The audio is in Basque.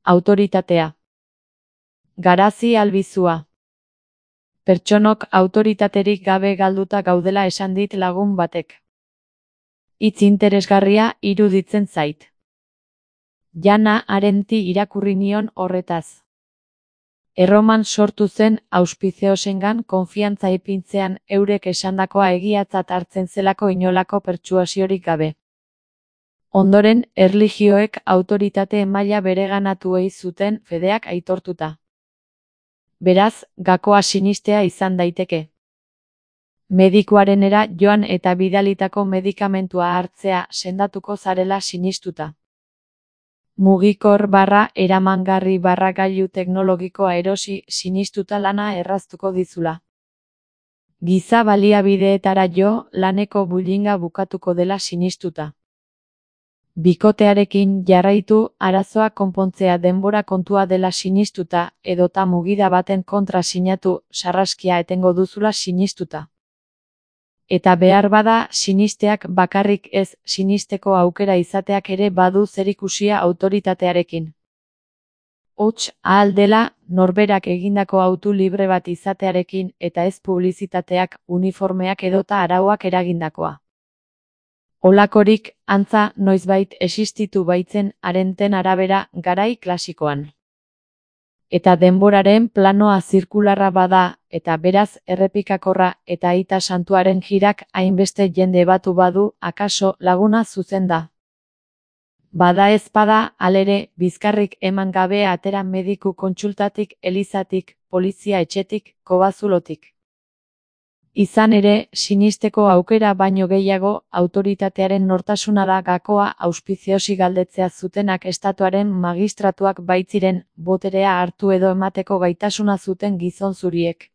autoritatea. Garazi albizua. Pertsonok autoritaterik gabe galduta gaudela esan dit lagun batek. Hitz interesgarria iruditzen zait. Jana Arendti irakurri nion horretaz. Erroman sortu zen auspiziosengan konfiantza ipintzean eurek esandakoa egiatzat hartzen zelako inolako pertsuasiorik gabe. Ondoren, erlijioek autoritate maila bereganatu ei zuten fedeak aitortuta. Beraz, gakoa sinistea izan daiteke. Medikuarenera joan eta bidalitako medikamentua hartzea sendatuko zarela sinistuta. Mugikor / eramangarri / gailu teknologikoa erosi sinistuta lana erraztuko dizula. Giza baliabideetara jo laneko bullyinga bukatuko dela sinistuta. Bikotearekin jarraitu arazoa konpontzea denbora kontua dela sinistuta edota mugida baten kontra sinatu sarraskia etengo duzula sinistuta. Eta behar bada sinisteak bakarrik ez sinisteko aukera izateak ere badu zerikusia autoritatearekin. Hots ahal dela norberak egindako autu libre bat izatearekin eta ez publizitateak, uniformeak edota arauak eragindakoa. Holakorik, antza, noizbait existitu baitzen Arendten arabera garai klasikoan. Eta denboraren planoa zirkularra bada, eta beraz errepikakorra eta aita santuaren jirak hainbeste jende batu badu, akaso laguna zuzen da. Bada ez bada, halere, bizkarrik eman gabe atera mediku kontsultatik, elizatik, polizia etxetik, kobazulotik. Izan ere, sinisteko aukera baino gehiago, autoritatearen nortasuna da gakoa auspiziosi galdetzea zutenak estatuaren magistratuak baitziren, boterea hartu edo emateko gaitasuna zuten gizon zuriek.